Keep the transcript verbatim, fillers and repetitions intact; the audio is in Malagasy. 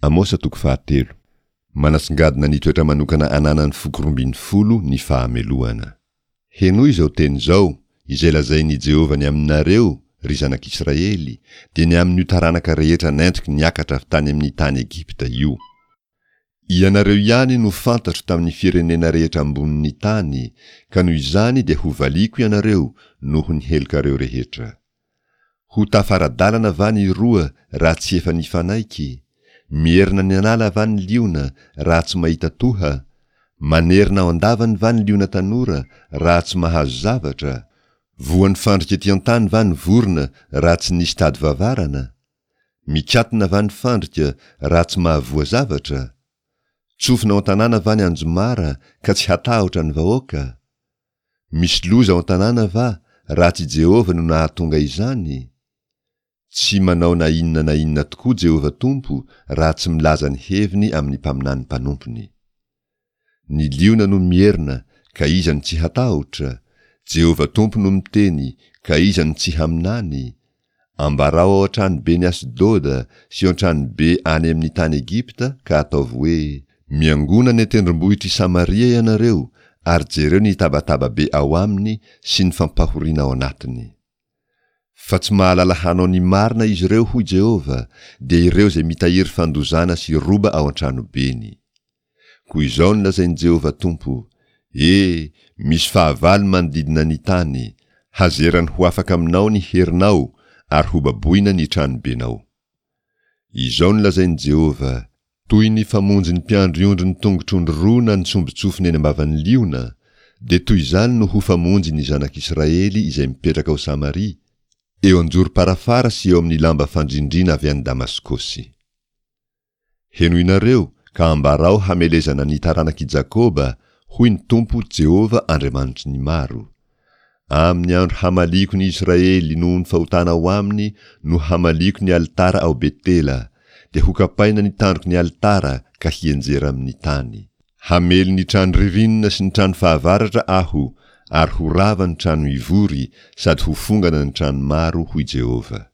Amosa toko fahatelo. Manasongadina ny toetra manokana ananan'ny foko roa ambin'ny folo ny fahamelohana. Henoy izao teny izao, izay lazain'i Jehovah ny aminareo, ry zanak'Israely, dia ny amin'io taranaka rehetra nentiko niakatra avy tany amin'ny tany Egypta io. Ianareo ihany no fantatro tamin'ny firenena rehetra ambonin'ny tany, ka noho izany dia hovaliako ianareo noho ny helokareo rehetra. Ho tafara-dalana va ny roa raha tsy efa nifanaiky? Mierina ny an'ala va ny liona raha tsy mahita toha? Manerina ao an-davany va ny liona tanora raha tsy mahazo zavatra? Voan'ny fandrika ety an-tany va ny vorona raha tsy nisy tady vavarana? Mikatona va ny fandrika raha tsy mahavoa zavatra? Tsofina ao an-tanàna va ny anjomara ka tsy hatahotra ny vahoaka? Misy loza ao an-tanàna va raha tsy Jehovah no nahatonga izany? Tsy manao na inona na inona tokoa Jehovah Tompo raha tsy milaza ny heviny amin'ny mpaminany mpanompony. Ny liona no mierona, ka iza no tsy hatahotra? Jehovah Tompo no miteny, ka iza no tsy haminany? Ambarao ao an-tranoben'i Asdoda sy ao an-tranobe any amin'ny tany Egypta ka ataovy hoe, Miangona any an-tendrombohitr'i Samaria ianareo ary jereo ny tabataba be ao aminy sy ny fampahoriana ao anatiny. Fa tsy mahalala hanao ny marina izy ireo, hoy Jehovah, dia ireo izay mitahiry fandozana sy roba ao an-tranobeny. Koa izao no lazain'i Jehovah Tompo, E, misy fahavalo manodidina ny tany, hazerany ho afaka aminao ny herinao ary hobaboina ny tranobenao. Izao no lazain'i Jehovah, Toy ny famonjin'ny mpiandry ondry ny tongotr'ondry roa na ny sombin-tsofiny eny am-bavan'ny liona, dia toy izany no ho famonjy ny zanak'Israely izay mipetraka ao Samaria, eo an-jorom-parafara sy eo amin'ny lamba fandrindrina avy any Damaskosy. Henoinareo ka ambarao hamelezana ny taranak'i Jakoba, hoy ny Tompo Jehovah Andriamanitry ny maro. Amin'ny andro hamaliako ny Israely noho ny fahotana ao aminy no hamaliako ny alitara ao Betela, dia hokapaina ny tandroky ny alitara ka hianjera amin'ny tany. Hamely ny trano ririnina sy ny trano fahavaratra Aho, ary ho rava ny trano ivory sady ho fongana ny trano maro, hoy Jehovah.